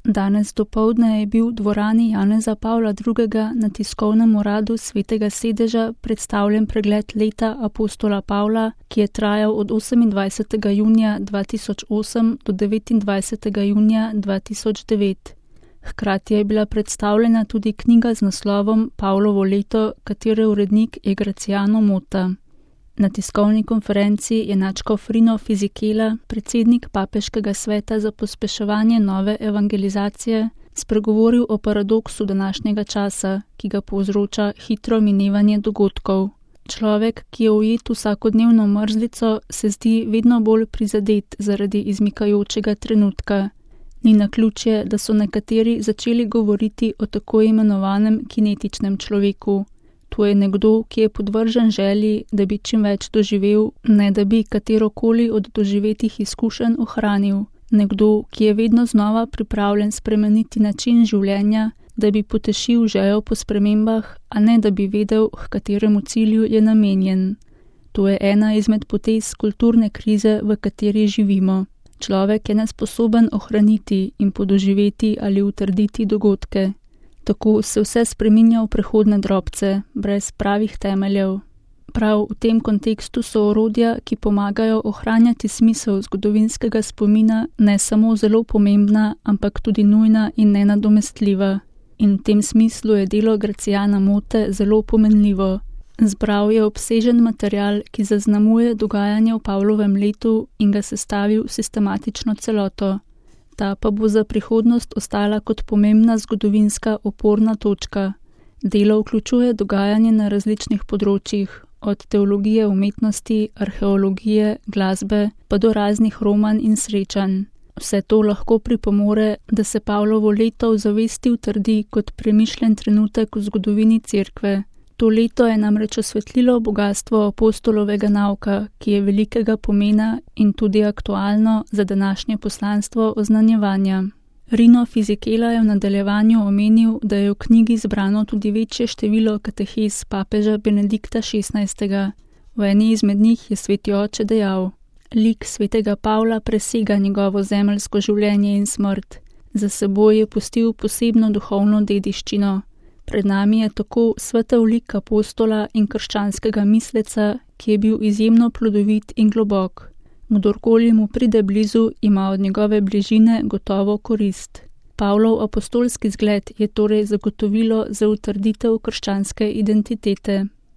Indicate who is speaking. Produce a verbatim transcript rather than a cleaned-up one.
Speaker 1: Danes dopoldne je bil v dvorani Janeza Pavla drugega. na tiskovnem uradu Svetega sedeža predstavljen pregled leta apostola Pavla, ki je trajal od osemindvajsetega junija dva tisoč osem do devetindvajsetega junija dva tisoč devet. Hkrati je bila predstavljena tudi knjiga z naslovom Pavlovo leto, katere urednik je Graciano Motta. Na tiskovni konferenci je nadškof Rino Fisichella, predsednik Papeškega sveta za pospeševanje nove evangelizacije, spregovoril o paradoksu današnjega časa, ki ga povzroča hitro minevanje dogodkov. Človek, ki je ujet v vsakodnevno mrzlico, se zdi vedno bolj prizadet zaradi izmikajočega trenutka. Ni naključje, da so nekateri začeli govoriti o tako imenovanem kinetičnem človeku. To je nekdo, ki je podvržen želji, da bi čim več doživel, ne da bi katerokoli od doživetih izkušenj ohranil. Nekdo, ki je vedno znova pripravljen spremeniti način življenja, da bi potešil željo po spremembah, a ne da bi vedel, h kateremu cilju je namenjen. To je ena izmed potez kulturne krize, v kateri živimo. Človek je nesposoben ohraniti in podoživeti ali utrditi dogodke. Tako se vse spreminja v prehodne drobce, brez pravih temeljev. Prav v tem kontekstu so orodja, ki pomagajo ohranjati smisel zgodovinskega spomina, ne samo zelo pomembna, ampak tudi nujna in nenadomestljiva. In v tem smislu je delo Graciana Motte zelo pomenljivo. Zbral je obsežen material, ki zaznamuje dogajanje v Pavlovem letu in ga sestavil v sistematično celoto. Ta pa bo za prihodnost ostala kot pomembna zgodovinska oporna točka. Delo vključuje dogajanje na različnih področjih, od teologije umetnosti, arheologije, glasbe, pa do raznih romanj in srečanj. Vse to lahko pripomore, da se Pavlovo leto v zavesti utrdi kot premišljen trenutek v zgodovini Cerkve. To leto je namreč osvetlilo bogastvo apostolovega nauka, ki je velikega pomena in tudi aktualno za današnje poslanstvo oznanjevanja. Rino Fisichella je v nadaljevanju omenil, da je v knjigi zbrano tudi večje število katehez papeža Benedikta šestnajstega. V eni izmed njih je sveti oče dejal: lik svetega Pavla presega njegovo zemeljsko življenje in smrt. Za seboj je pustil posebno duhovno dediščino. Pred nami je tako svetel lik apostola in krščanskega misleca, ki je bil izjemno plodovit in globok. Kdorkoli mu pride blizu, ima od njegove bližine gotovo korist. Pavlov apostolski zgled je torej zagotovilo za utrditev krščanske identitete.